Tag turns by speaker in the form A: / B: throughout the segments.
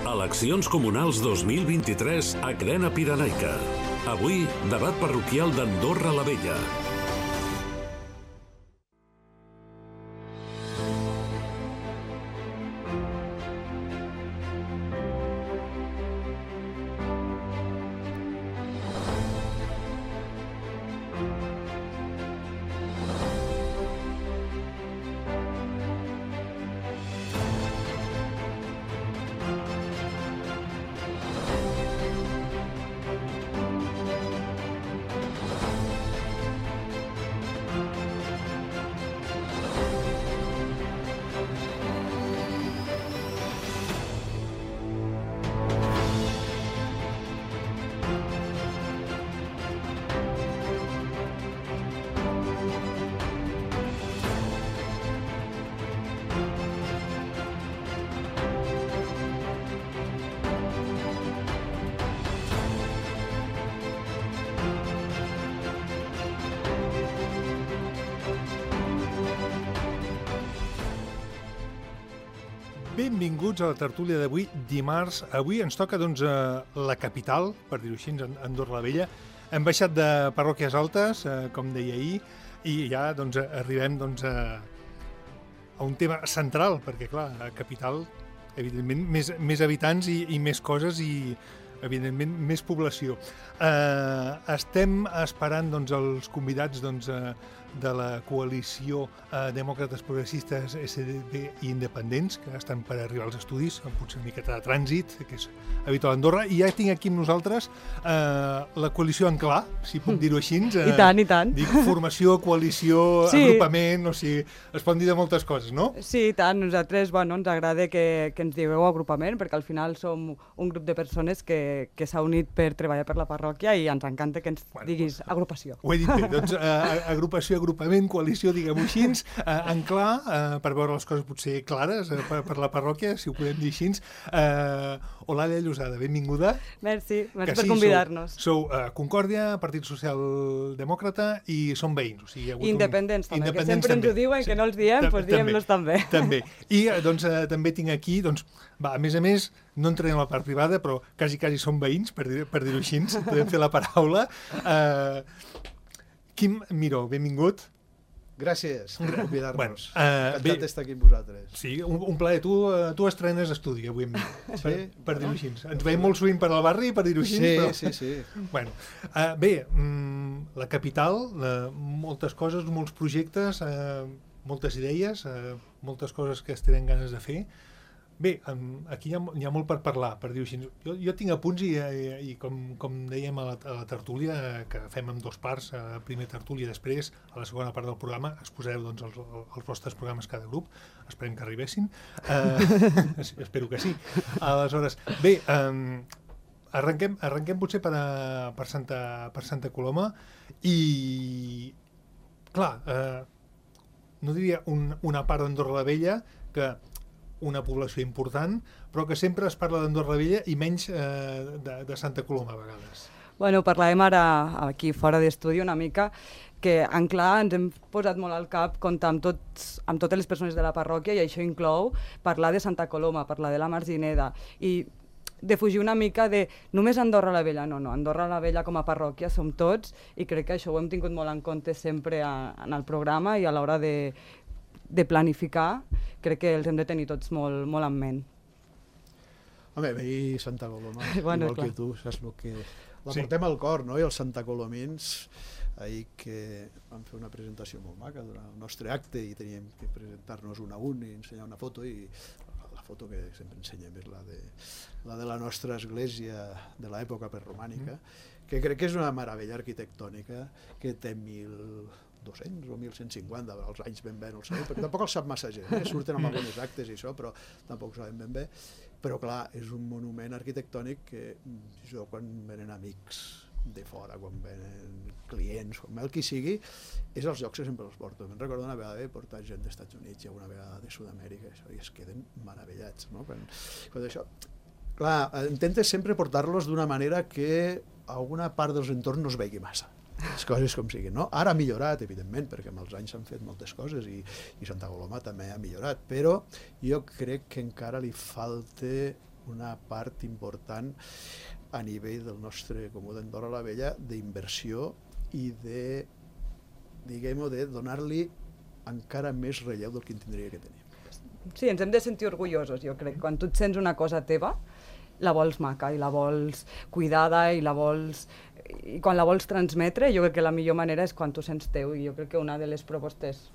A: Eleccions comunals 2023 a Crena Pirenaica. Avui, debat parroquial d'Andorra la Vella.
B: Benvinguts a la tertúlia d'avui, dimarts. Avui ens toca, doncs, la capital, per dir-ho així, Andorra la Vella. Hem baixat de parròquies altes, com deia ahir, i ja doncs, arribem doncs, a un tema central, perquè, clar, la capital, evidentment, més habitants i més coses i, evidentment, més població. Estem esperant doncs, els convidats doncs, de la coalició Demòcrates Progressistes, SDP i Independents, que estan per arribar als estudis, amb potser una miqueta de trànsit, que és habitual a Andorra. I ja tinc aquí amb nosaltres la coalició en clar, si puc dir-ho així.
C: I tant, i tant.
B: Dic formació, coalició, sí. Agrupament, o sigui, es poden dir de moltes coses, no?
C: Sí, i tant. Nosaltres, bueno, ens agrada que ens digueu agrupament, perquè al final som un grup de persones que s'ha unit per treballar per la parròquia i ens encanta que ens diguis agrupació.
B: Ho he dit bé, doncs agrupació, agrupament, coalició, diguem-ho així, en clar, per veure les coses potser clares per la parròquia, si ho podem dir així. Olàlia Llosada, benvinguda.
C: Merci per convidar-nos.
B: Sou Concòrdia, Partit Socialdemòcrata i som veïns. O sigui,
C: Independents també, que sempre ens ho diuen, que no els diem, doncs diem-los també.
B: També. I doncs també tinc aquí, doncs, a més, no entrarem a la part privada, però quasi som veïns, per dir-ho així, podem fer la paraula. Quim Miró, benvingut.
D: Gràcies per convidar-nos.
B: Encantat
D: d'estar aquí amb vosaltres.
B: Sí, un plaer. Tu estrenes estudi avui amb mi, per dir-ho així. Ens veiem molt sovint per al barri, per dir-ho així.
D: Sí.
B: Bueno, bé, la capital, moltes coses, molts projectes, moltes idees, moltes coses que es tenen ganes de fer. Bé, aquí hi ha molt per parlar, per dir-ho així. Jo tinc apunts i com dèiem a la tertúlia, que fem en dos parts, primer tertúlia i després, a la segona part del programa, exposareu doncs, els vostres programes cada grup, esperem que arribessin, espero que sí. Aleshores, bé, arrenquem potser per Santa Coloma i, clar, no diria una part d'Andorra la Vella, que una població important, però que sempre es parla d'Andorra la Vella i menys de Santa Coloma a vegades.
C: Bueno, parlàvem ara aquí fora d'estudi una mica que en clar ens hem posat molt al cap comptar amb totes les persones de la parròquia i això inclou parlar de Santa Coloma, parlar de la Margineda i de fugir una mica de només Andorra la Vella, no, Andorra la Vella com a parròquia som tots i crec que això ho hem tingut molt en compte sempre en el programa i a l'hora de planificar, crec que els hem de tenir tots molt en ment.
D: Home, veí Santa Coloma,
C: bueno,
D: igual que tu, saps el que... La portem al cor, no?, i els santacolomins, ahir que vam fer una presentació molt maca durant el nostre acte i teníem que presentar-nos un a un i ensenyar una foto i la foto que sempre ensenyem és la de la nostra església de l'època preromànica, que crec que és una meravella arquitectònica que té 1.200 o 1.150, els anys ben bé no el sabem, perquè tampoc el sap massa gent, surten amb algunes actes i això, però tampoc ho sabem ben bé. Però clar, és un monument arquitectònic que jo quan venen amics de fora, quan venen clients, com el qui sigui, és els llocs que sempre els porto. Me'n recordo una vegada he portat gent dels Estats Units i una vegada de Sud-amèrica i es queden meravellats, no? Quan això, clar, intentes sempre portar-los d'una manera que alguna part dels entorns no es vegi massa. Les coses com siguin, no? Ara ha millorat, evidentment, perquè amb els anys s'han fet moltes coses i Santa Coloma també ha millorat, però jo crec que encara li falta una part important a nivell del nostre Comú d'Andorra la Vella d'inversió i de, diguem-ho, de donar-li encara més relleu del que en tindria que tenir.
C: Sí, ens hem de sentir orgullosos, jo crec. Quan tu et sents una cosa teva, la vols maca i la vols cuidada i quan la vols transmetre, jo crec que la millor manera és quan tu sents teu, i jo crec que una de les propostes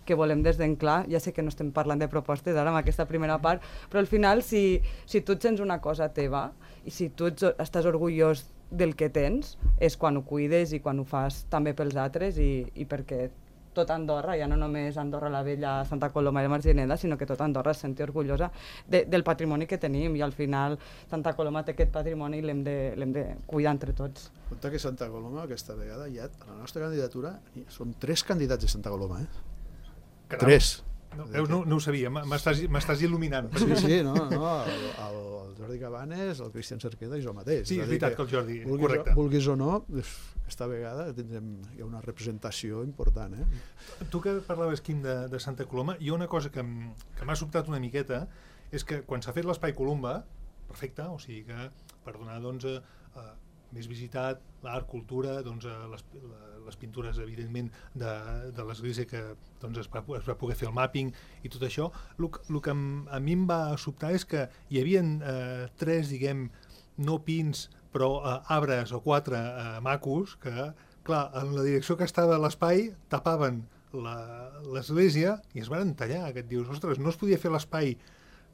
C: que volem des d'Enclar, ja sé que no estem parlant de propostes ara amb aquesta primera part, però al final si tu et sents una cosa teva i si tu estàs orgullós del que tens, és quan ho cuides i quan ho fas també pels altres i perquè tot Andorra, ja no només Andorra la Vella, Santa Coloma i Margineda, sinó que tot Andorra es senti orgullosa del patrimoni que tenim, i al final Santa Coloma té aquest patrimoni i l'hem de cuidar entre tots.
D: Compte que Santa Coloma aquesta vegada ja, a la nostra candidatura, són 3 candidats de Santa Coloma,
B: Caram.
D: 3.
B: No ho sabia, m'estàs il·luminant.
D: Sí, el Jordi Cabanes, el Cristian Cerqueda i jo mateix.
B: Sí, és veritat que el Jordi, correcte.
D: Vulguis o no, aquesta vegada hi ha una representació important.
B: Tu que parlaves, Quim, de Santa Coloma, hi ha una cosa que m'ha sobtat una miqueta, és que quan s'ha fet l'Espai Columba, perfecte, o sigui que per donar més visitat, l'art, cultura, les pintures, evidentment, de l'església que es va poder fer el mapping i tot això. El que a mi em va sobtar és que hi havia 3, diguem, no pins, però arbres o 4 macos que, clar, en la direcció que estava l'espai tapaven l'església i es van tallar, que et dius, ostres, no es podia fer l'espai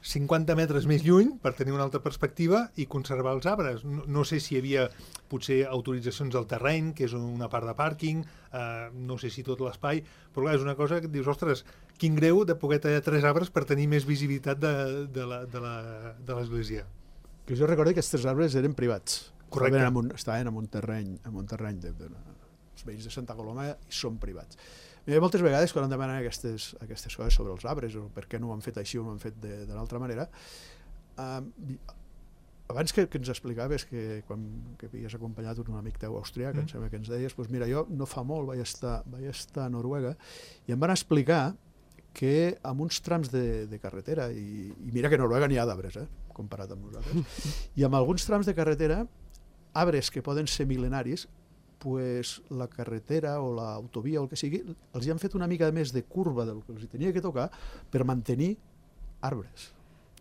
B: 50 metres més lluny per tenir una altra perspectiva i conservar els arbres. No sé si hi havia potser autoritzacions del terreny, que és una part de pàrquing, no sé si tot l'espai, però clar, és una cosa que et dius, ostres, quin greu de poder tallar 3 arbres per tenir més visibilitat de l'església.
D: Que jo recordo que aquests 3 arbres eren privats.
B: Correcte.
D: Estaven en un terreny dels veïns de Santa Coloma i són privats. Moltes vegades quan em demanen aquestes coses sobre els arbres o per què no ho han fet així o no ho han fet de l'altra manera, abans que ens explicaves que quan havies acompanyat un amic teu austrià, que em sembla que ens deies, doncs mira, jo no fa molt vaig estar a Noruega i em van explicar que amb uns trams de carretera, i mira que a Noruega n'hi ha d'arbres, comparat amb nosaltres, i amb alguns trams de carretera, arbres que poden ser mil·lenaris, pues la carretera o l'autovia o el que sigui, els hi han fet una mica més de curva del que els tenia que tocar per mantenir arbres.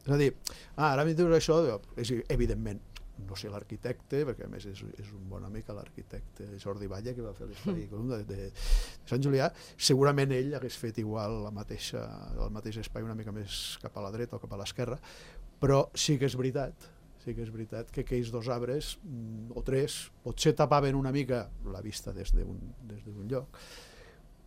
D: És a dir, ara m'hi dius això, és evidentment, no sé l'arquitecte, perquè a més és un bon amic, l'arquitecte Jordi Valle, que va fer l'Espai Columba de Sant Julià, segurament ell hagués fet igual el mateix espai una mica més cap a la dreta o cap a l'esquerra, però sí que és veritat que aquells 2 arbres, o 3, potser tapaven una mica la vista des d'un lloc,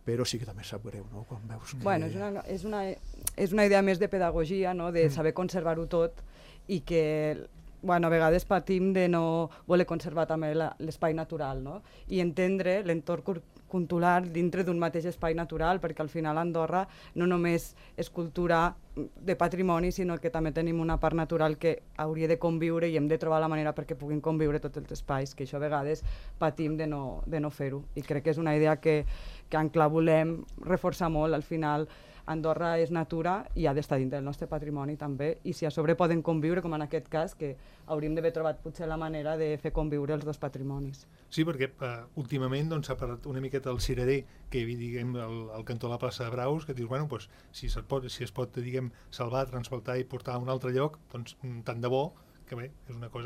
D: però sí que també sap greu, no?, quan veus que...
C: Bueno, és una idea més de pedagogia, no?, de saber conservar-ho tot, i que a vegades patim de no voler conservar també l'espai natural, no?, i entendre l'entorn cultural dintre d'un mateix espai natural, perquè al final Andorra no només és cultura de patrimoni, sinó que també tenim una part natural que hauria de conviure i hem de trobar la manera perquè puguin conviure tots els espais, que això a vegades patim de no fer-ho. I crec que és una idea que en Clar volem reforçar molt. Al final Andorra és natura i ha d'estar dintre del nostre patrimoni també, i si a sobre poden conviure, com en aquest cas, que hauríem d'haver trobat potser la manera de fer conviure els 2 patrimonis.
B: Sí, perquè últimament s'ha parlat una miqueta del cirerer, que diguem al cantó de la plaça de Braus, que dius, bueno, doncs, si es pot diguem, salvar, transportar i portar a un altre lloc, doncs tant de bo, que bé,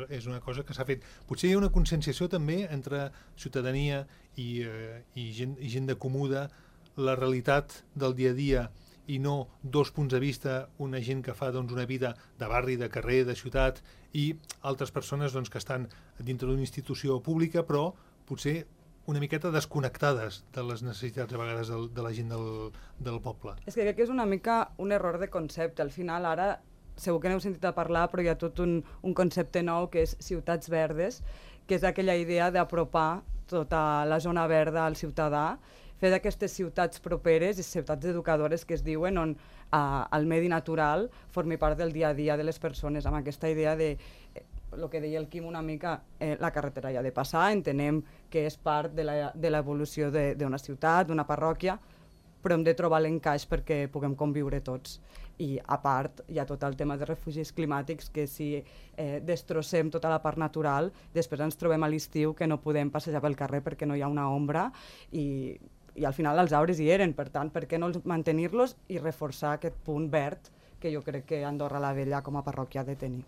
B: és una cosa que s'ha fet. Potser hi ha una conscienciació també entre ciutadania i gent de comú de la realitat del dia a dia, i no 2 punts de vista, una gent que fa una vida de barri, de carrer, de ciutat, i altres persones que estan dintre d'una institució pública, però potser una miqueta desconnectades de les necessitats a vegades de la gent del poble.
C: És que crec que és una mica un error de concepte. Al final, ara, segur que n'heu sentit a parlar, però hi ha tot un concepte nou que és ciutats verdes, que és aquella idea d'apropar tota la zona verda al ciutadà, fer d'aquestes ciutats properes i ciutats educadores que es diuen on el medi natural formi part del dia a dia de les persones, amb aquesta idea de el que deia el Quim una mica, la carretera ja ha de passar, entenem que és part de l'evolució d'una ciutat, d'una parròquia, però hem de trobar l'encaix perquè puguem conviure tots. I a part hi ha tot el tema de refugis climàtics, que si destrossem tota la part natural, després ens trobem a l'estiu que no podem passejar pel carrer perquè no hi ha una ombra i al final els arbres hi eren, per tant, per què no mantenir-los i reforçar aquest punt verd que jo crec que Andorra la Vella com a parròquia ha de tenir.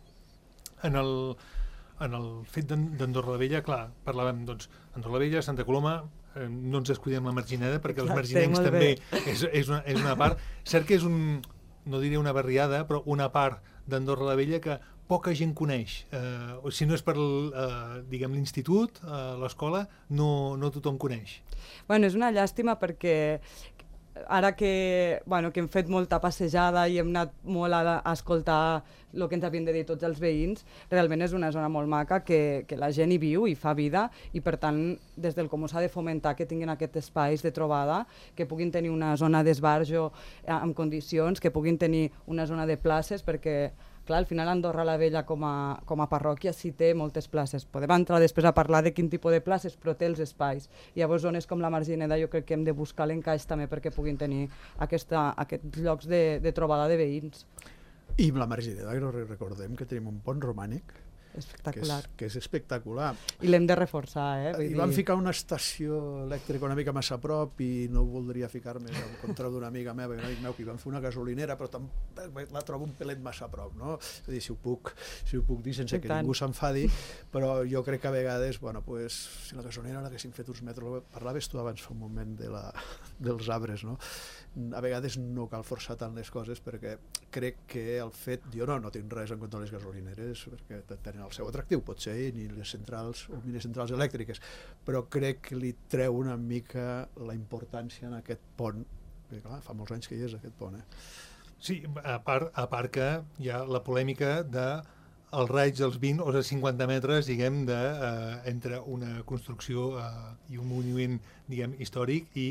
B: En el fet d'Andorra la Vella, clar, parlàvem, doncs, Andorra la Vella, Santa Coloma, no ens descuidem la Margineda, perquè els marginencs també és una part. Cert que és no diré una barriada, però una part d'Andorra la Vella que poca gent coneix. Si no és per l'institut, l'escola, no tothom coneix.
C: Bueno, és una llàstima perquè ara que hem fet molta passejada i hem anat molt a escoltar el que ens havien de dir tots els veïns, realment és una zona molt maca que la gent hi viu i fa vida i per tant des del Comú s'ha de fomentar que tinguin aquests espais de trobada, que puguin tenir una zona d'esbarjo en condicions, que puguin tenir una zona de places perquè clar, al final Andorra la Vella com a parròquia sí té moltes places. Podem entrar després a parlar de quin tipus de places, però té els espais. Llavors, zones com la Margineda jo crec que hem de buscar l'encaix també perquè puguin tenir aquests llocs de trobada de veïns.
D: I amb la Margineda recordem que tenim un pont romànic
C: espectacular.
D: Que és espectacular.
C: I l'hem de reforçar,
D: I van ficar una estació elèctrica una mica massa a prop i no voldria ficar-me en contra d'una amiga meva, un amic meu, que hi van fer una gasolinera, però la trobo un pelet massa a prop, no? És a dir, si ho puc dir sense que ningú s'enfadi, però jo crec que a vegades, si la gasolinera l'haguessin fet uns metres, parlaves tu abans fa un moment dels arbres, no? A vegades no cal forçar tant les coses perquè crec que el fet, jo no tinc res en contra de les gasolineres perquè tenen el seu atractiu, potser ni les centrals o mini centrals elèctriques, però crec que li treu una mica la importància en aquest pont, perquè clar, fa molts anys que hi és aquest pont.
B: Sí, a part que hi ha la polèmica de els raigs dels 20 o els 50 metres, diguem, entre una construcció i un monument, diguem, històric i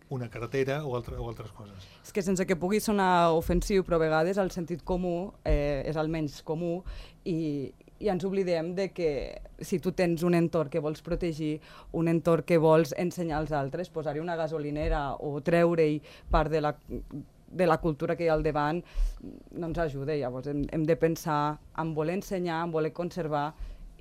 B: una carretera o altres coses.
C: És que sense que pugui sonar ofensiu, però a vegades el sentit comú és el menys comú i ens oblidem de que si tu tens un entorn que vols protegir, un entorn que vols ensenyar als altres, posar-hi una gasolinera o treure-hi part de la cultura que hi ha al davant no ens ajuda. Llavors hem de pensar en voler ensenyar, en voler conservar.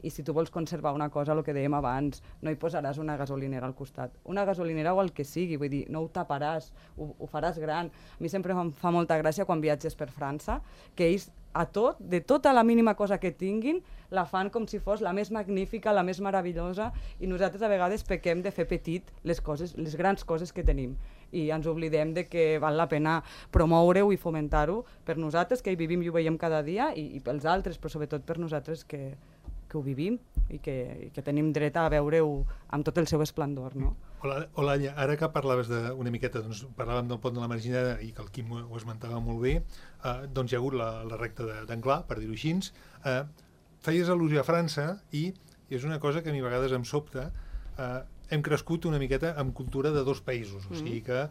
C: I si tu vols conservar una cosa, el que dèiem abans, no hi posaràs una gasolinera al costat. Una gasolinera o el que sigui, vull dir, no ho taparàs, ho faràs gran. A mi sempre em fa molta gràcia quan viatges per França, que ells de tota la mínima cosa que tinguin, la fan com si fos la més magnífica, la més meravellosa, i nosaltres a vegades pequem de fer petit les grans coses que tenim. I ens oblidem de que val la pena promoure-ho i fomentar-ho per nosaltres, que hi vivim i ho veiem cada dia, i pels altres, però sobretot per nosaltres que ho vivim i que tenim dret a veure-ho amb tot el seu esplendor, no?
B: Hola, ara que parlaves una miqueta, doncs parlàvem del pont de la Margineda i que el Quim ho esmentava molt bé, doncs hi ha hagut la recta d'Anglà, per dir-ho així. Feies al·lusió a França i és una cosa que a mi a vegades em sobta. Hem crescut una miqueta amb cultura de dos països, o sigui que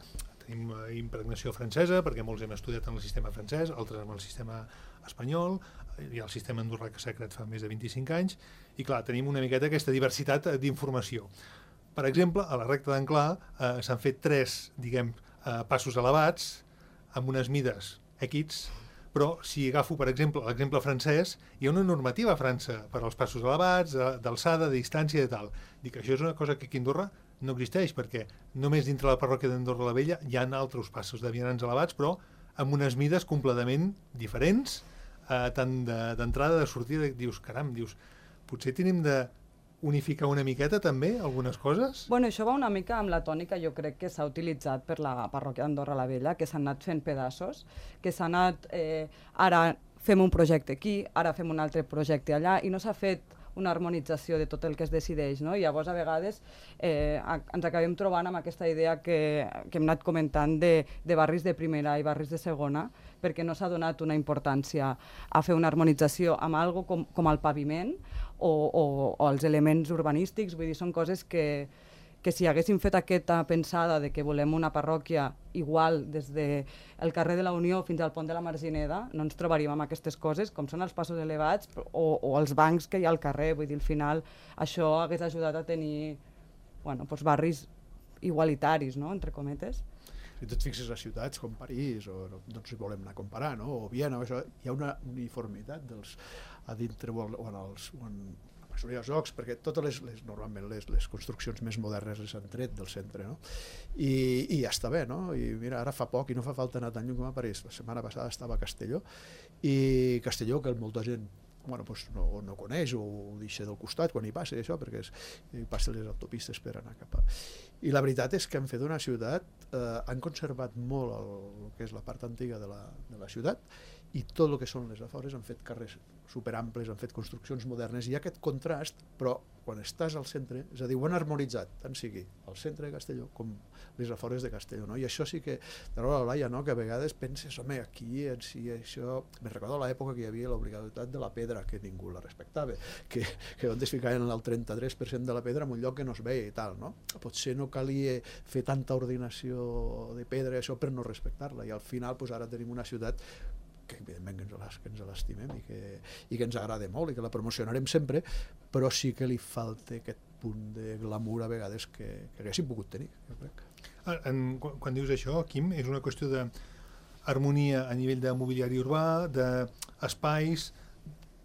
B: tenim impregnació francesa perquè molts hem estudiat en el sistema francès, altres en el sistema espanyol, hi ha el sistema andorrà que s'ha creat fa més de 25 anys i clar, tenim una miqueta aquesta diversitat d'informació. Per exemple, a la recta d'Anglà s'han fet 3, diguem, passos elevats amb unes mides X, però si agafo, per exemple, l'exemple francès, hi ha una normativa a França per als passos elevats, d'alçada, de distància i tal. Dic, això és una cosa que aquí a Andorra no existeix, perquè només dintre la parròquia d'Andorra la Vella hi ha altres passos de vianants elevats, però amb unes mides completament diferents, tant d'entrada, de sortida. Dius, caram, potser tenim de unificar una miqueta també algunes coses?
C: Bueno, això va una mica amb la tònica, jo crec que s'ha utilitzat per la parròquia d'Andorra la Vella, que s'han anat fent pedaços, que s'ha anat, ara fem un projecte aquí, ara fem un altre projecte allà, i no s'ha fet una harmonització de tot el que es decideix, no? I llavors a vegades ens acabem trobant amb aquesta idea que hem anat comentant de barris de primera i barris de segona, perquè no s'ha donat una importància a fer una harmonització amb algo com el paviment o els elements urbanístics. Vull dir, són coses que si haguéssim fet aquesta pensada de que volem una parròquia igual des del carrer de la Unió fins al pont de la Margineda, no ens trobaríem amb aquestes coses, com són els passos elevats o els bancs que hi ha al carrer. Vull dir, al final això hagués ajudat a tenir barris igualitaris, no?, entre cometes.
D: si tu et fixes a ciutats com París, o no ens hi volem anar a comparar, no? O Viena, això, hi ha una uniformitat a dintre o en la majoria dels llocs, perquè totes normalment les construccions més modernes les han tret del centre, no? I ja està bé, no? I mira, ara fa poc i no fa falta anar tan lluny com a París. La setmana passada estava a Castelló, i Castelló, que molta gent no coneix o ho deixa del costat quan hi passa això, perquè hi passen les autopistes per anar cap a... I la veritat és que han fet una ciutat, han conservat molt el que és la part antiga de la ciutat, i tot el que són les afores han fet carrers superamples, han fet construccions modernes, i hi ha aquest contrast, però quan estàs al centre, és a dir, ho han harmonitzat, tant sigui al centre de Castelló com les afores de Castelló, no? I això sí que, de la Laia, no? Que a vegades penses, home, aquí en si això... Me recordo l'època que hi havia l'obligatorietat de la pedra, que ningú la respectava, que on es ficaven el 33% de la pedra en un lloc que no es veia i tal, no? Potser no calia fer tanta ordinació de pedra, això, per no respectar-la, i al final ara tenim una ciutat que evidentment que ens l'estimem i que ens agrada molt i que la promocionarem sempre, però sí que li falta aquest punt de glamour a vegades que haguéssim pogut tenir, jo crec.
B: Quan dius això, Quim, és una qüestió d'harmonia a nivell de mobiliari urbà, d'espais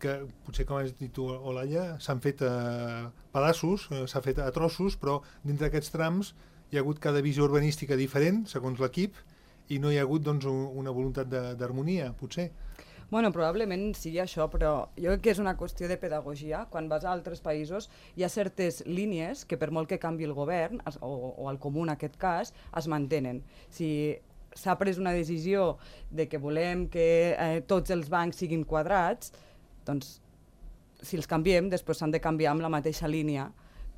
B: que potser, com has dit tu, Olalla, s'han fet a pedaços, s'ha fet a trossos, però dintre d'aquests trams hi ha hagut cada visió urbanística diferent, segons l'equip, i no hi ha hagut doncs, una voluntat d'harmonia, potser.
C: Bueno, probablement sigui això, però jo crec que és una qüestió de pedagogia. Quan vas a altres països hi ha certes línies que per molt que canvi el govern, o el comú en aquest cas, es mantenen. Si s'ha pres una decisió de que volem que tots els bancs siguin quadrats, doncs si els canviem, després s'han de canviar amb la mateixa línia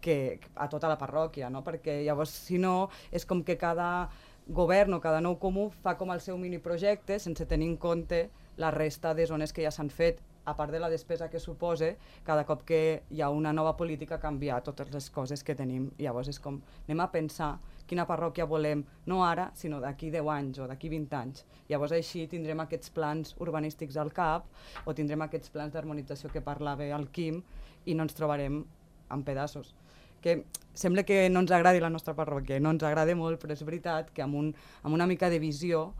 C: que a tota la parròquia, no? Perquè llavors, si no, és com que cada govern o cada nou comú fa com el seu miniprojecte sense tenir en compte la resta de zones que ja s'han fet, a part de la despesa que suposa cada cop que hi ha una nova política canviar totes les coses que tenim. Llavors és com, anem a pensar quina parròquia volem, no ara, sinó d'aquí 10 anys o d'aquí 20 anys. Llavors així tindrem aquests plans urbanístics al cap o tindrem aquests plans d'harmonització que parlava el Quim i no ens trobarem en pedaços. Que sembla que no ens agradi la nostra parròquia, no ens agrada molt, però és veritat que amb una mica de visió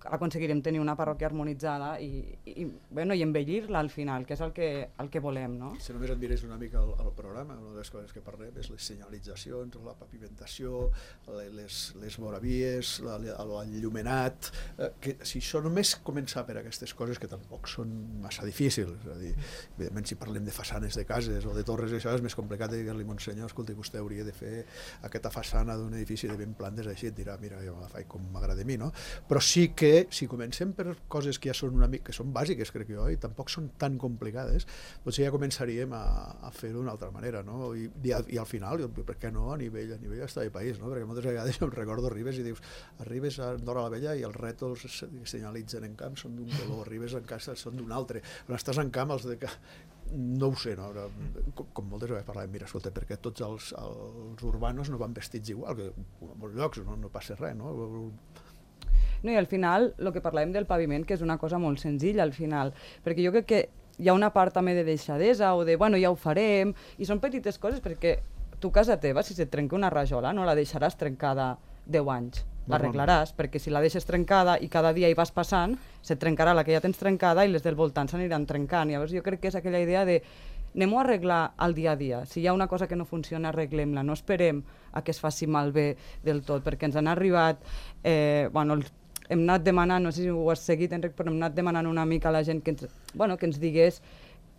C: aconseguirem tenir una parròquia harmonitzada i embellir-la al final, que és el que volem, no?
D: Si només et mires una mica al programa, una de les coses que parlem és les senyalitzacions, la pavimentació, les voravies, l'enllumenat, que si això només començar per aquestes coses que tampoc són massa difícils, és a dir, evidentment si parlem de façanes de cases o de torres, això és més complicat de dir-li, monsenyor, escolta, vostè hauria de fer aquesta façana d'un edifici de 20 plantes així, et dirà, mira, jo la faig com m'agrada a mi, no? Però sí que si comencem per coses que ja són una mica, que són bàsiques, crec jo, i tampoc són tan complicades, potser ja començaríem a fer-ho d'una altra manera, no? I al final, per què no, a nivell d'estat de país, no? Perquè moltes vegades jo em recordo arribes i dius, arribes a Andorra la Vella i els rètols que senyalitzen en camp són d'un color, arribes en casa són d'un altre, quan estàs en camp els de no ho sé, no? Com moltes vegades parlàvem, mira, escolta, perquè tots els urbanos no van vestits igual, que en molts llocs no passa res, no?
C: No, i al final, el que parlàvem del paviment, que és una cosa molt senzilla al final, perquè jo crec que hi ha una part també de deixadesa o de, bueno, ja ho farem, i són petites coses, perquè tu, casa teva, si se't trenca una rajola, no la deixaràs trencada 10 anys, l'arreglaràs, perquè si la deixes trencada i cada dia hi vas passant, se't trencarà la que ja tens trencada i les del voltant s'aniran trencant. Llavors jo crec que és aquella idea de anem-ho a arreglar al dia a dia. Si hi ha una cosa que no funciona, arreglem-la. No esperem a que es faci malbé del tot, perquè ens han arribat... hem anat demanant, no sé si ho has seguit, Enric, però hem anat demanant una mica a la gent que ens digués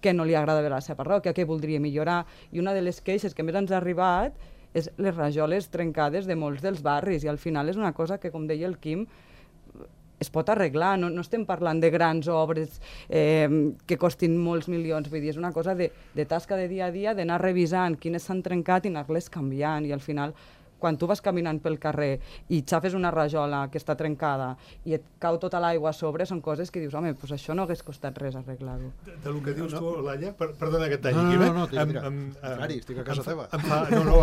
C: què no li agrada de la seva parròquia, què voldria millorar, i una de les queixes que més ens ha arribat és les rajoles trencades de molts dels barris, i al final és una cosa que, com deia el Quim, es pot arreglar, no estem parlant de grans obres que costin molts milions, vull dir, és una cosa de tasca de dia a dia, d'anar revisant quines s'han trencat i anar-les canviant, i al final quan tu vas caminant pel carrer i xafes una rajola que està trencada i et cau tota l'aigua a sobre, són coses que dius, home, doncs això no hagués costat res arreglar-ho.
B: Del que dius tu, Laia, perdona que et talli,
D: No, estic a casa teva.
B: No,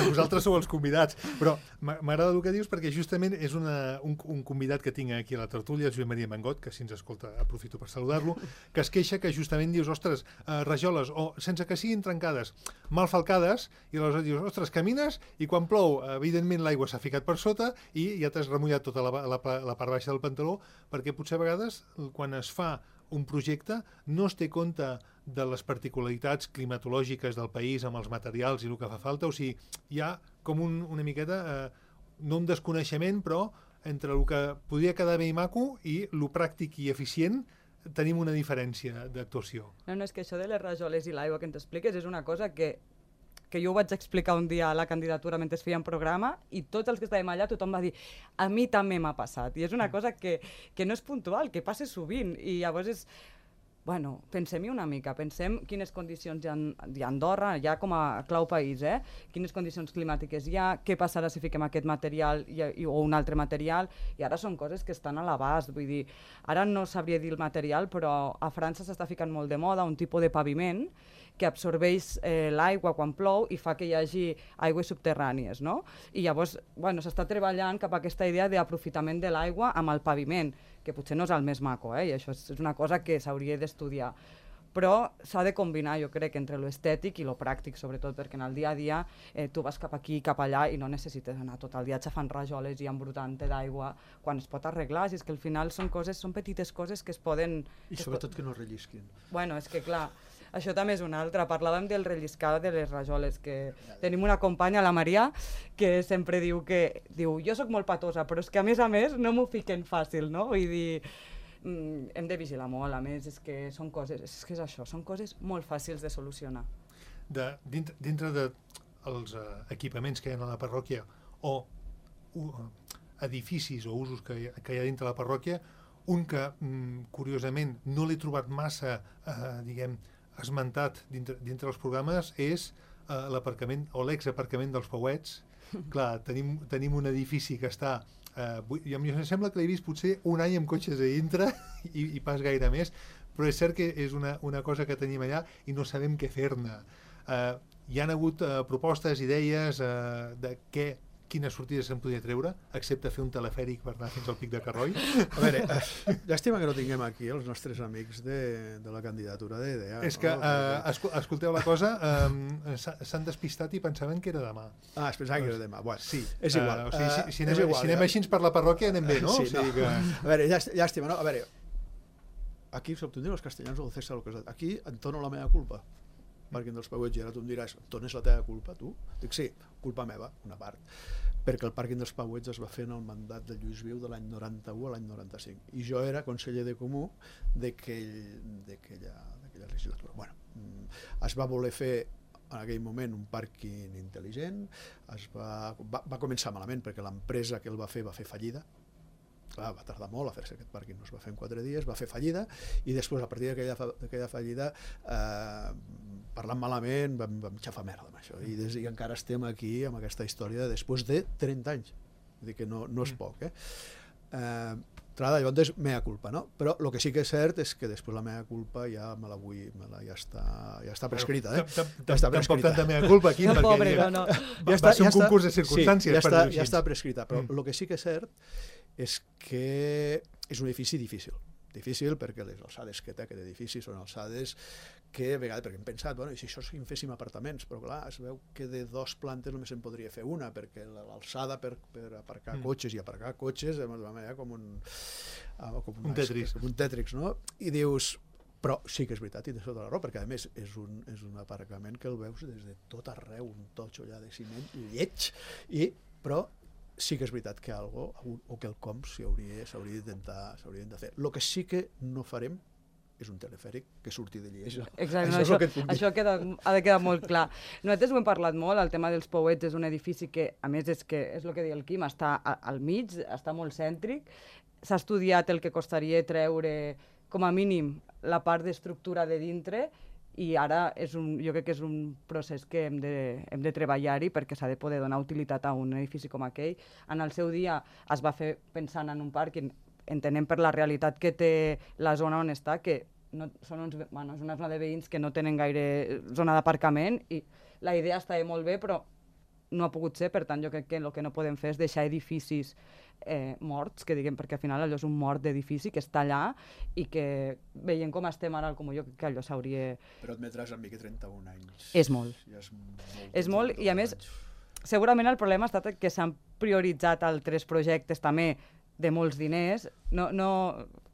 B: vosaltres sou els convidats, però m'agrada el que dius perquè justament és un convidat que tinc aquí a la tertúlia, el Joan Maria Mangot, que si ens escolta aprofito per saludar-lo, que es queixa que justament dius, ostres, rajoles, o sense que siguin trencades, mal falcades, i aleshores dius, ostres, camines i quan plou evidentment l'aigua s'ha ficat per sota i ja t'has remullat tota la part baixa del pantaló, perquè potser a vegades quan es fa un projecte no es té compte de les particularitats climatològiques del país amb els materials i el que fa falta, o sigui, hi ha com una miqueta, no un desconeixement, però entre el que podria quedar bé i maco i el pràctic i eficient tenim una diferència d'actuació.
C: No, és que això de les rajoles i l'aigua que ens expliques és una cosa que jo ho vaig explicar un dia a la candidatura mentre fèiem programa i tots els que estàvem allà tothom va dir a mi també m'ha passat. I és una cosa que no és puntual, que passa sovint. I llavors és... Bueno, pensem-hi una mica, pensem quines condicions hi ha a Andorra, ja com a clau país, quines condicions climàtiques hi ha, què passarà si fiquem aquest material o un altre material, i ara són coses que estan a l'abast, vull dir, ara no sabria dir el material, però a França s'està ficant molt de moda un tipus de paviment que absorbeix l'aigua quan plou i fa que hi hagi aigües subterrànies, no? I llavors, bueno, s'està treballant cap a aquesta idea d'aprofitament de l'aigua amb el paviment, que potser no és el més maco, i això és una cosa que s'hauria d'estudiar. Però s'ha de combinar, jo crec, entre l'estètic i lo pràctic, sobretot perquè en el dia a dia tu vas cap aquí i cap allà i no necessites anar tot el dia xafant rajoles i embrutant-te d'aigua quan es pot arreglar, si és que al final són petites coses que es poden...
D: I sobretot que no rellisquin.
C: Bueno, és que clar, això també és una altra. Parlàvem del relliscar de les rajoles, que tenim una companya, la Maria, que sempre diu jo sóc molt patosa, però és que a més no m'ho fiquen fàcil, no? Vull dir, hem de vigilar molt, a més, és que són coses, és que és això, són coses molt fàcils de solucionar.
B: Dintre dels equipaments que hi ha a la parròquia o edificis o usos que hi ha dintre la parròquia, un que, curiosament, no l'he trobat massa, esmentat dintre els programes és l'aparcament o l'exaparcament dels Pauets. Clar, tenim un edifici que està... em sembla que l'he vist potser un any amb cotxes a dintre i pas gaire més, però és cert que és una cosa que tenim allà i no sabem què fer-ne. Hi han hagut propostes, idees de quines sortides se'n podria treure, excepte fer un telefèric per anar fins al Pic de Carroi?
D: A veure, llàstima que no tinguem aquí els nostres amics de la candidatura d'EDEA.
B: És que, escolteu la cosa, s'han despistat i pensaven que era demà.
D: Ah, es pensaven que era demà. Bueno,
B: sí.
D: És igual.
B: Si anem així per la parròquia anem bé, no?
D: Sí, no. A veure, llàstima, no? A veure, aquí s'obtindrien els castellans o el César, aquí em dono la meva culpa. Pàrquing dels Pauets, i ara tu em diràs, d'on és la teva culpa, tu? Dic, sí, culpa meva, una part, perquè el pàrquing dels Pauets es va fer en el mandat de Lluís Viu de l'any 91 a l'any 95, i jo era conseller de Comú d'aquella legislatura. Bueno, es va voler fer en aquell moment un pàrquing intel·ligent, va començar malament perquè l'empresa que el va fer fallida. Clar, va tardar molt a fer-se aquest pàrquing, no es va fer en 4 dies, va fer fallida, i després, a partir d'aquella fallida, parlant malament, vam xafar merda amb això, i encara estem aquí amb aquesta història després de 30 anys, vull dir que no és poc, llavors, mea culpa, no? Però el que sí que és cert és que després la mea culpa ja està prescrita,
B: Tampoc tanta mea culpa aquí, perquè va ser un concurs de circumstàncies.
D: Ja està prescrita, però el que sí que és cert és que és un edifici difícil perquè les alçades que té aquest edifici són alçades que a vegades, perquè hem pensat, bueno, i si això en féssim apartaments, però clar, es veu que de 2 plantes només en podria fer una, perquè l'alçada per aparcar cotxes i aparcar cotxes com un Tetris, no? I dius, però sí que és veritat, i tens tota la raó, perquè a més és un aparcament que el veus des de tot arreu, un totxo allà de ciment lleig, però sí que és veritat que algo o quelcom s'hauria d'intentar fer. El que sí que no farem és un telefèric que surti de Lleida.
C: Exacte, això ha de quedar molt clar. Nosaltres ho hem parlat molt, el tema dels Pauets és un edifici que, a més, és el que deia el Quim, està al mig, està molt cèntric, s'ha estudiat el que costaria treure, com a mínim, la part d'estructura de dintre, i ara jo crec que és un procés que hem de treballar-hi perquè s'ha de poder donar utilitat a un edifici com aquell. En el seu dia es va fer pensant en un pàrquing, entenem per la realitat que té la zona on està, que és una zona de veïns que no tenen gaire zona d'aparcament, i la idea estava molt bé, però no ha pogut ser. Per tant, jo crec que el que no podem fer és deixar edificis morts, que diguem, perquè al final allò és un mort d'edifici que està allà i que veient com estem ara al Comú, jo crec que allò s'hauria...
D: Però admetràs amb mi que 31 anys...
C: És molt. És molt, i a més, segurament el problema ha estat que s'han prioritzat altres projectes també de molts diners. No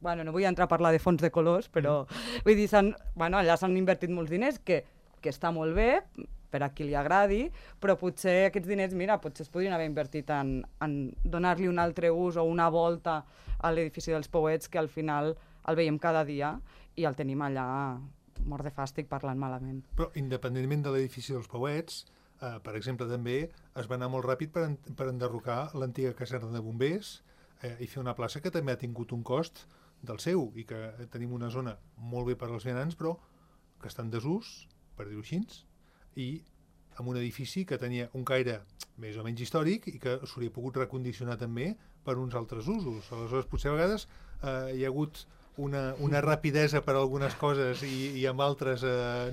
C: vull entrar a parlar de fons de colors, però vull dir, allà s'han invertit molts diners, que està molt bé per a qui li agradi, però potser aquests diners, potser es podrien haver invertit en donar-li un altre ús o una volta a l'edifici dels Pouets, que al final el veiem cada dia i el tenim allà mort de fàstic parlant malament.
B: Però independentment de l'edifici dels Pouets, per exemple, també es va anar molt ràpid per enderrocar l'antiga caserna de bombers i fer una plaça que també ha tingut un cost del seu i que tenim una zona molt bé per als vianants, però que està en desús, per dir-ho així, i amb un edifici que tenia un caire més o menys històric i que s'hauria pogut recondicionar també per uns altres usos. Aleshores, potser a vegades hi ha hagut una rapidesa per a algunes coses i amb altres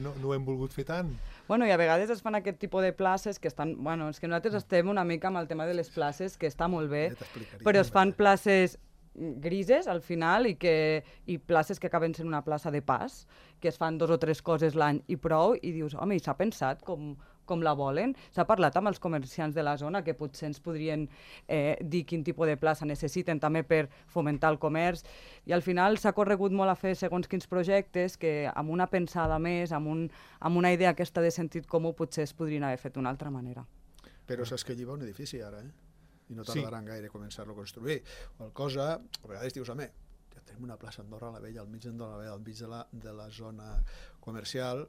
B: no ho hem volgut fer tant.
C: I a vegades es fan aquest tipus de places que estan... és que nosaltres estem una mica amb el tema de les places, que està molt bé, però es fan places grises al final i places que acaben sent una plaça de pas, que es fan 2 o 3 coses l'any i prou, i dius, home, i s'ha pensat com la volen? S'ha parlat amb els comerciants de la zona que potser ens podrien dir quin tipus de plaça necessiten també per fomentar el comerç, i al final s'ha corregut molt a fer segons quins projectes que amb una pensada més, amb una idea aquesta de sentit comú, potser es podrien haver fet d'una altra manera.
D: Però saps que allí va un edifici ara, i no tardaran gaire a començar-lo a construir. Qual cosa, a vegades dius, home, ja tenim una plaça a Andorra la Vella, al mig d'Andorra la Vella, al mig de la zona comercial,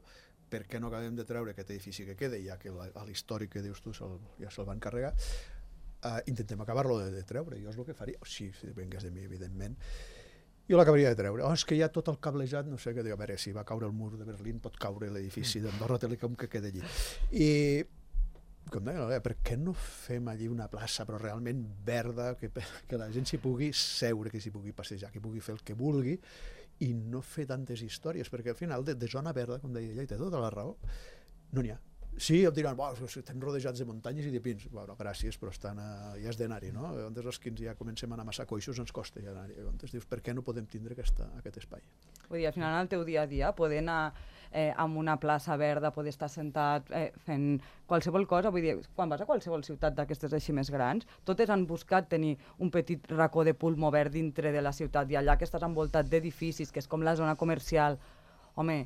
D: per què no acabem de treure aquest edifici que queda, ja que l'històric que dius tu ja se'l van carregar, intentem acabar-lo de treure. Jo és el que faria, si vengués de mi, evidentment, jo l'acabaria de treure. És que hi ha tot el cablejat, no sé què, a veure, si va caure el mur de Berlín, pot caure l'edifici d'Andorra Telecom que queda allí. I com deia, per què no fem allí una plaça però realment verda, que la gent s'hi pugui seure, que s'hi pugui passejar, que pugui fer el que vulgui, i no fer tantes històries, perquè al final de zona verda, com deia ella, i té tota la raó, no n'hi ha. Sí, em diran, estem rodejats de muntanyes i de pins. Bueno, gràcies, però ja has d'anar-hi, no? Llavors els que ja comencem a anar massa coixos ens costa ja anar-hi. Llavors dius, per què no podem tindre aquest espai?
C: Vull dir, al final, el teu dia a dia, poder anar amb una plaça verda, poder estar sentat fent qualsevol cosa, vull dir, quan vas a qualsevol ciutat d'aquestes així més grans, totes han buscat tenir un petit racó de pulmo verd dintre de la ciutat, i allà que estàs envoltat d'edificis, que és com la zona comercial, home,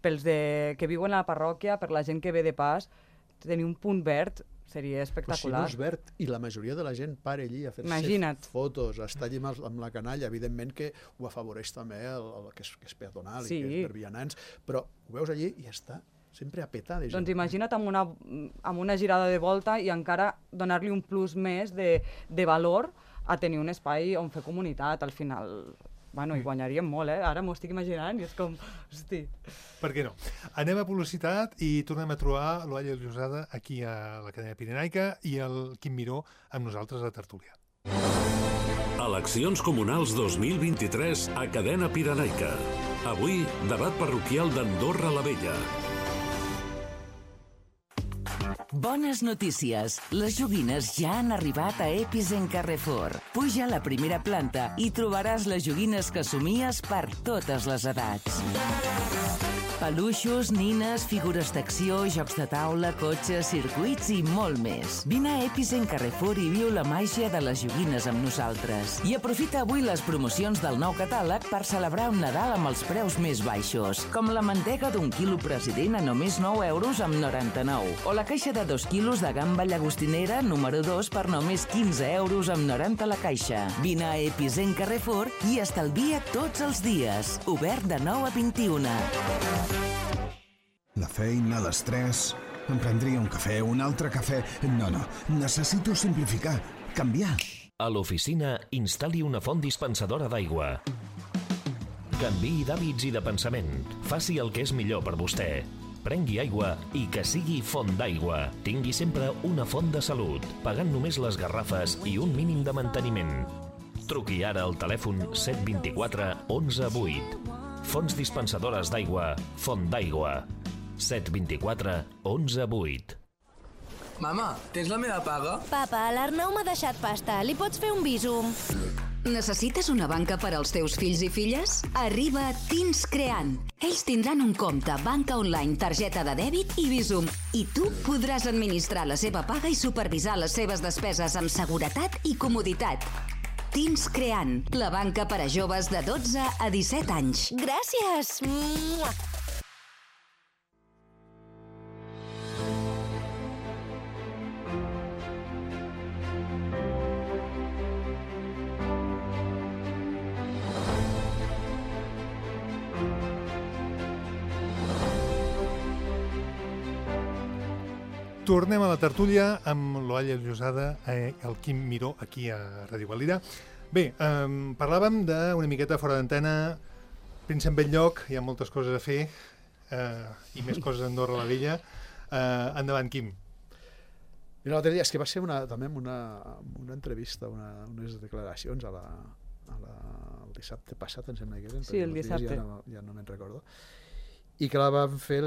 C: pels que viuen a la parròquia, per la gent que ve de pas, tenir un punt verd seria espectacular.
D: Però si no és verd i la majoria de la gent para allí a fer-se fotos, a estar allí amb la canalla, evidentment que ho afavoreix també el que és peatonal i que és per vianants, però ho veus allí i està sempre a petar de gent.
C: Doncs imagina't amb una girada de volta i encara donar-li un plus més de valor a tenir un espai on fer comunitat, al final. Hi guanyaríem molt, Ara m'ho estic imaginant i és com, hosti...
B: Per què no? Anem a publicitat i tornem a trobar l'Olla Llosada aquí a la cadena Pirenaica i el Quim Miró amb nosaltres a Tertúlia.
A: Eleccions comunals 2023 a cadena Pirenaica. Avui, debat parroquial d'Andorra la Vella.
E: Bones notícies! Les joguines ja han arribat a Epicent Carrefour. Puja a la primera planta i trobaràs les joguines que somies per totes les edats. Peluixos, nines, figures d'acció, jocs de taula, cotxes, circuits i molt més. Vine a Epicent Carrefour i viu la màgia de les joguines amb nosaltres. I aprofita avui les promocions del nou catàleg per celebrar un Nadal amb els preus més baixos, com la mantega d'1 quilo President a només 9 euros amb 99, o la caixa de 2 quilos de gamba llagostinera número 2 per només 15 euros amb 90 la caixa. Vine a Epicent Carrefour i estalvia tots els dies. Obert de 9 a 21.
F: La feina, l'estrès... Em prendria un cafè, un altre cafè... No, necessito simplificar, canviar.
G: A l'oficina, instal·li una font dispensadora d'aigua. Canviï d'hàbits i de pensament. Faci el que és millor per vostè. Prengui aigua i que sigui font d'aigua. Tingui sempre una font de salut, pagant només les garrafes i un mínim de manteniment. Truqui ara al telèfon 724 11 8. Fonts dispensadores d'aigua, Font d'Aigua. 724 11 8.
H: Mama, tens la meva paga?
I: Papa, l'Arnau m'ha deixat pasta. Li pots fer un bísum?
H: Necessites una banca per als teus fills i filles? Arriba Teens Creant. Ells tindran un compte, banca online, targeta de dèbit i Bizum. I tu podràs administrar la seva paga i supervisar les seves despeses amb seguretat i comoditat. Teens Creant, la banca per a joves de 12 a 17 anys.
I: Gràcies!
B: Tornem a la tertúlia amb l'Olla Llosada i el Quim Miró aquí a Ràdio Valira. Bé, parlàvem d'una miqueta fora d'antena, Príncep Bell-lloc, hi ha moltes coses a fer i més coses a Andorra la Vella. Endavant, Quim.
D: Mira, l'altre dia, és que va ser també una entrevista, unes declaracions el dissabte passat, em sembla que eren.
C: Sí, el dissabte.
D: Ja no me'n recordo. I que la vam fer,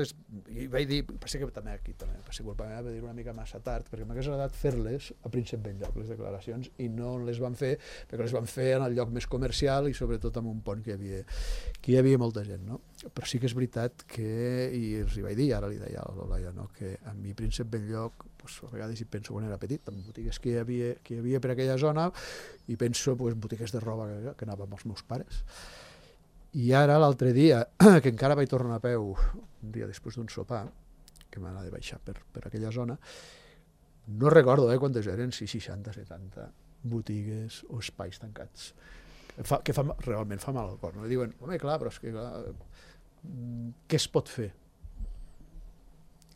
D: i vaig dir, potser que també aquí, per ser culpa meva, vaig dir una mica massa tard, perquè m'hagués agradat fer-les a Príncep Bell-lloc, les declaracions, i no les vam fer, perquè les vam fer en el lloc més comercial i sobretot en un pont que hi havia molta gent, no? Però sí que és veritat que, i els hi vaig dir, ara li deia a l'Olaia, no? Que a mi Príncep Bell-lloc, pues, a vegades hi penso quan era petit, en botigues que hi havia per aquella zona, i penso en botigues de roba que anava amb els meus pares. I ara, l'altre dia, que encara vaig tornar a peu, un dia després d'un sopar, que m'anava de baixar per aquella zona, no recordo quantes eren, 60, 70 botigues o espais tancats, que realment fa mal al cor. No? Diuen, home, clar, però és que què es pot fer?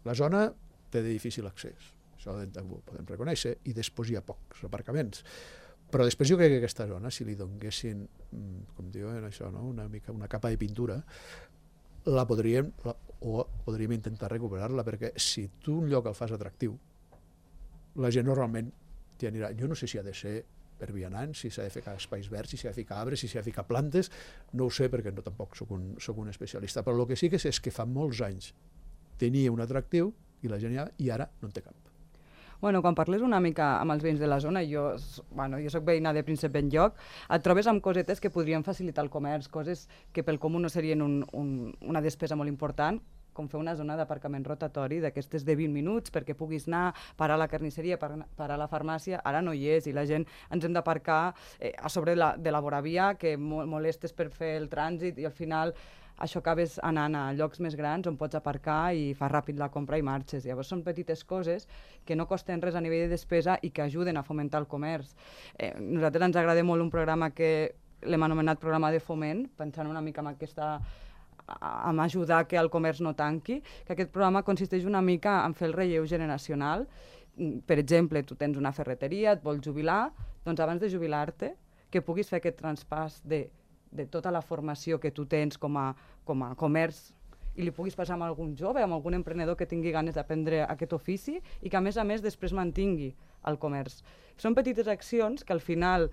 D: La zona té de difícil accés, això ho podem reconèixer, i després hi ha pocs aparcaments. Però després jo crec que aquesta zona, si li donguessin, com diuen això, no? una capa de pintura, podríem intentar recuperar-la, perquè si tu un lloc el fas atractiu, la gent normalment t'hi anirà. Jo no sé si ha de ser per vianants, si s'ha de ficar espais verds, si s'ha de ficar arbres, si s'ha de ficar plantes, no ho sé perquè no tampoc soc un especialista, però el que sí que sé és que fa molts anys tenia un atractiu i la gent i ara no en té cap.
C: Bueno, quan parles una mica amb els veïns de la zona, jo soc veïna de Príncep Bell-lloc, et trobes amb cosetes que podrien facilitar el comerç, coses que pel comú no serien una despesa molt important, com fer una zona d'aparcament rotatori d'aquestes de 20 minuts perquè puguis anar, parar a la carnisseria, parar a la farmàcia, ara no hi és i la gent ens hem d'aparcar a sobre de la voravia que molestes per fer el trànsit i al final això acabes anant a llocs més grans on pots aparcar i fas ràpid la compra i marxes. Llavors són petites coses que no costen res a nivell de despesa i que ajuden a fomentar el comerç. Nosaltres ens agrada molt un programa que l'hem anomenat programa de foment, pensant una mica en ajudar que el comerç no tanqui, que aquest programa consisteix una mica en fer el relleu generacional. Per exemple, tu tens una ferreteria, et vols jubilar, doncs abans de jubilar-te, que puguis fer aquest traspàs de tota la formació que tu tens com a comerç i li puguis passar amb algun jove, amb algun emprenedor que tingui ganes d'aprendre aquest ofici i que a més després mantingui el comerç. Són petites accions que al final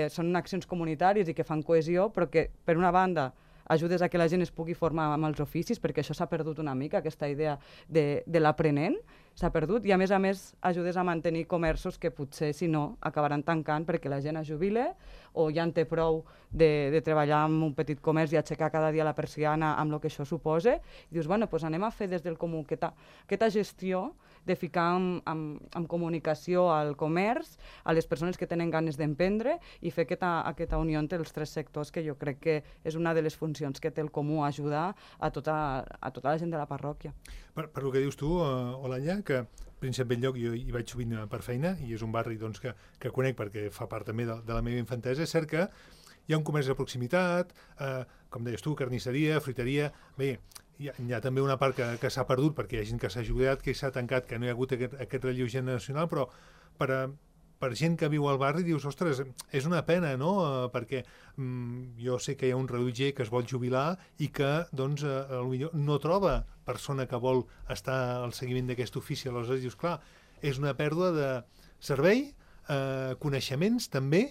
C: són accions comunitàries i que fan cohesió, però que per una banda ajudes a que la gent es pugui formar amb els oficis, perquè això s'ha perdut una mica, aquesta idea de l'aprenent s'ha perdut, i a més ajudes a mantenir comerços que potser, si no, acabaran tancant perquè la gent es jubile o ja en té prou de treballar en un petit comerç i aixecar cada dia la persiana amb el que això suposa, i dius, bueno, doncs anem a fer des del comú aquesta gestió de ficar en comunicació al comerç, a les persones que tenen ganes d'emprendre i fer aquesta unió entre els tres sectors, que jo crec que és una de les funcions que té el comú, ajudar a tota la gent de la parròquia.
B: Per el que dius tu, Olalla, que Príncep Bell-lloc jo hi vaig sovint per feina i és un barri doncs, que conec perquè fa part també de la meva infantesa. És cert que hi ha un comerç de proximitat, com deies tu, carnisseria, fruiteria. Bé, hi ha també una part que s'ha perdut perquè hi ha gent que s'ha jubilat, que s'ha tancat, que no hi ha hagut aquest relleu generacional, però per gent que viu al barri dius, ostres, és una pena, no? Perquè jo sé que hi ha un rellotger que es vol jubilar i que doncs, potser no troba persona que vol estar al seguiment d'aquest ofici. Aleshores dius, clar, és una pèrdua de servei, coneixements també,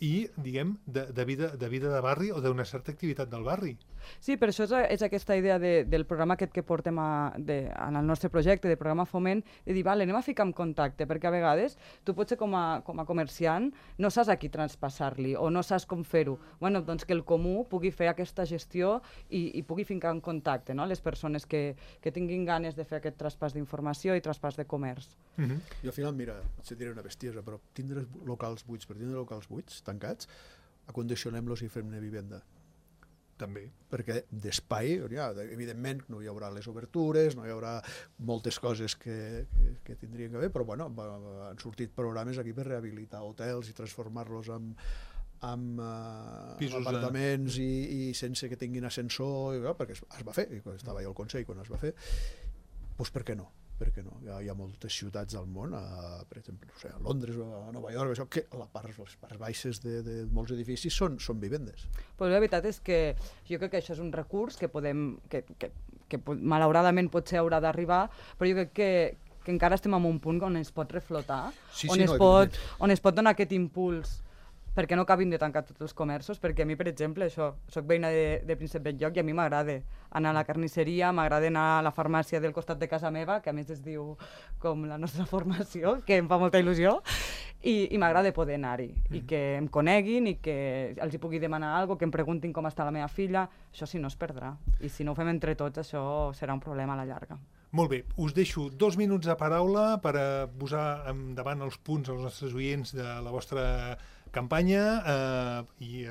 B: i, diguem, de vida de barri o d'una certa activitat del barri.
C: Sí, per això és aquesta idea del programa aquest que portem en el nostre projecte, de programa Foment, de dir, vale, anem a ficar en contacte, perquè a vegades tu potser com a comerciant no saps a qui traspassar-li o no saps com fer-ho. Bueno, doncs que el comú pugui fer aquesta gestió i pugui ficar en contacte, no?, les persones que tinguin ganes de fer aquest traspàs d'informació i traspàs de comerç.
D: I al final, mira, potser diré una bestiesa, però tindre locals buits, per tindre locals buits, tancats, acondicionem-los i fem-ne vivenda.
B: També.
D: Perquè d'espai, evidentment, no hi haurà les obertures, no hi haurà moltes coses que tindrien que haver, però bueno, han sortit programes aquí per rehabilitar hotels i transformar-los en apartaments i sense que tinguin ascensor, perquè es va fer, estava jo al Consell quan es va fer, doncs per què no? Perquè no? Hi ha moltes ciutats del món, per exemple, a Londres o a Nova York, que les parts baixes de molts edificis són vivendes.
C: Però la veritat és que jo crec que això és un recurs que malauradament potser haurà d'arribar, però jo crec que encara estem en un punt on es pot reflotar, on es pot donar aquest impuls perquè no acabin de tancar tots els comerços, perquè a mi, per exemple, soc veïna de Príncep Bell-lloc i a mi m'agrada anar a la carnisseria, m'agrada anar a la farmàcia del costat de casa meva, que a més es diu com la nostra formació, que em fa molta il·lusió, i m'agrada poder anar-hi, i que em coneguin, i que els hi pugui demanar alguna cosa, que em preguntin com està la meva filla, això sí no es perdrà. I si no ho fem entre tots, això serà un problema a la llarga.
B: Molt bé, us deixo 2 minuts de paraula per posar endavant els punts als nostres oients de la vostra campanya i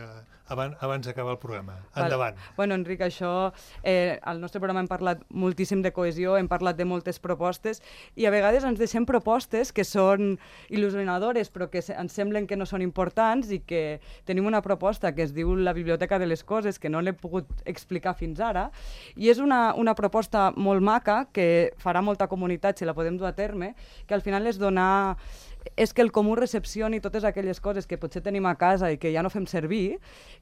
B: abans d'acabar el programa. Endavant.
C: Bueno, Enric, al nostre programa hem parlat moltíssim de cohesió, hem parlat de moltes propostes i a vegades ens deixem propostes que són il·lusionadores però que ens semblen que no són importants i que tenim una proposta que es diu la Biblioteca de les Coses, que no l'he pogut explicar fins ara, i és una proposta molt maca que farà molta comunitat si la podem dur a terme, que al final és que el comú recepcioni totes aquelles coses que potser tenim a casa i que ja no fem servir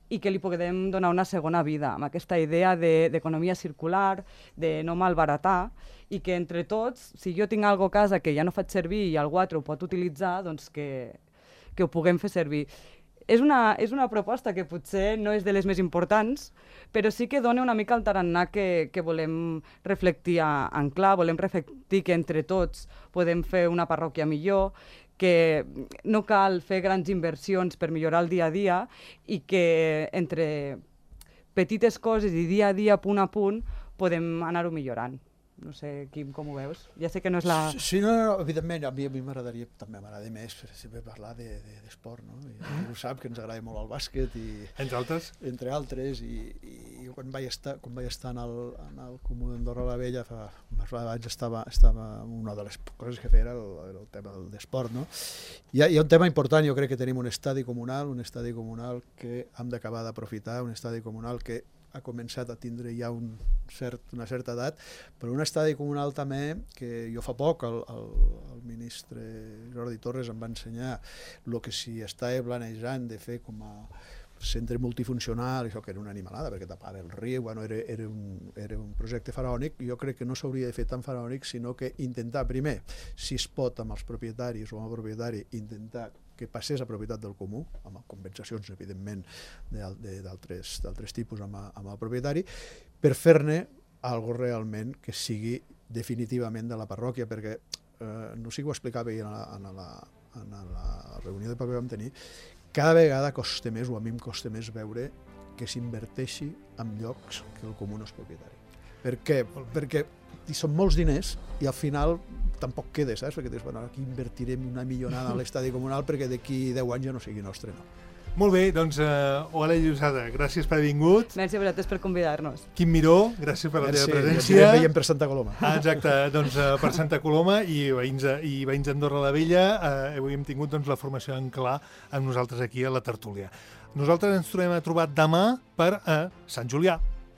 C: i que li podem donar una segona vida, amb aquesta idea d'economia circular, de no malbaratar, i que entre tots, si jo tinc alguna cosa a casa que ja no faig servir i algú altre ho pot utilitzar, doncs que ho puguem fer servir. És una proposta que potser no és de les més importants, però sí que dona una mica el tarannà que volem reflectir en clar, volem reflectir que entre tots podem fer una parròquia millor, que no cal fer grans inversions per millorar el dia a dia i que entre petites coses i dia a dia, punt a punt, podem anar-ho millorant. No sé, Quim, com ho veus? Ja sé que no és la...
D: Sí, no, evidentment, a mi m'agradaria, també m'agrada més sempre parlar d'esport, no? I ho sap, que ens agrada molt el bàsquet i...
B: Entre altres?
D: Entre altres, i quan vaig estar en el Comú d'Andorra la Vella, abans estava una de les coses que feia era el tema d'esport, no? Hi ha un tema important, jo crec que tenim un estadi comunal que hem d'acabar d'aprofitar, un estadi comunal que ha començat a tindre ja una certa edat, però un estadi comunal també que jo fa poc el ministre Jordi Torres em va ensenyar el que s'hi estava planejant de fer com a centre multifuncional, això que era una animalada perquè tapava el riu, bueno, era un projecte faraònic. Jo crec que no s'hauria de fer tan faraònic, sinó que intentar primer, si es pot amb els propietaris o amb el propietari, intentar que passés a propietat del comú, amb compensacions, evidentment, d'altres tipus amb el propietari, per fer-ne algo realment que sigui definitivament de la parròquia, perquè no sé si ho explicava ahir en la reunió de paper que vam tenir, cada vegada costa més, o a mi em costa més veure que s'inverteixi en llocs que el comú no és propietari. Per què? Perquè són molts diners i al final tampoc queda, saps? Perquè dius, bueno, aquí invertirem una millonada a l'estadi comunal perquè d'aquí 10 anys ja no sigui nostre, no.
B: Molt bé, doncs, Ola Llosada, gràcies per haver vingut.
C: Merci a vosaltres per convidar-nos.
B: Quim Miró, gràcies per la teva presència.
D: Ja ens veiem per Santa Coloma.
B: Exacte, doncs per Santa Coloma i veïns d'Andorra la Vella, avui hem tingut la formació en clar amb nosaltres aquí a la tertúlia. Nosaltres ens tornem a trobar demà per Sant Julià.